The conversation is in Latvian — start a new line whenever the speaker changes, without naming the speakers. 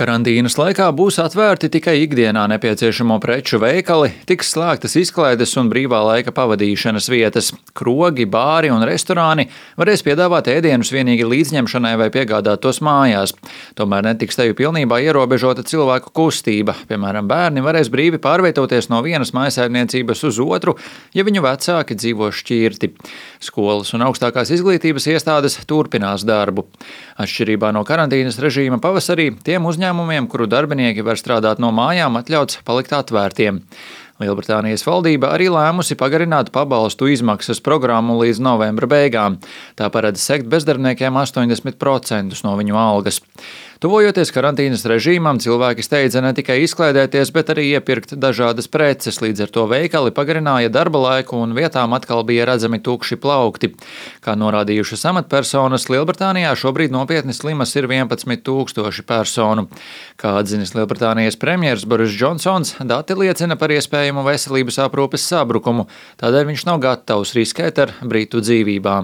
Karantīnas laikā būs atvērti tikai ikdienā nepieciešamo preču veikali, tiks slēgtas izklaides un brīvā laika pavadīšanas vietas. Krogi, bāri un restorāni varēs piedāvāt ēdienus vienīgi līdzņemšanai vai piegādāt tos mājās. Tomēr netiks teju pilnībā ierobežota cilvēku kustība. Piemēram, bērni varēs brīvi pārvietoties no vienas mājsaimniecības uz otru, ja viņu vecāki dzīvo šķirti. Skolas un augstākās izglītības iestādes turpinās darbu. Atšķirībā no karantīnas režīma pavasarī tiem uzņēmumiem, kuru darbinieki var strādāt no mājām, atļauts palikt atvērtiem. Lielbritānijas valdība arī lēmusi pagarināt pabalstu izmaksas programmu līdz novembra beigām. Tā paredz sekt bezdarbniekiem 80% no viņu algas. Tuvojoties karantīnas režīmam, cilvēki steidza ne tikai izklaidēties, bet arī iepirkt dažādas preces, līdz ar to veikali pagarināja darba laiku un vietām atkal bija redzami tukši plaukti. Kā norādījušas amatpersonas, Lielbritānijā šobrīd nopietni slimas ir 11,000 personu. Kā atzinis Lielbritānijas premjers Boris Džonsons, dati liecina par iespējamu veselības aprūpes sabrukumu, tādēļ viņš nav gatavs riskēt ar britu dzīvībām.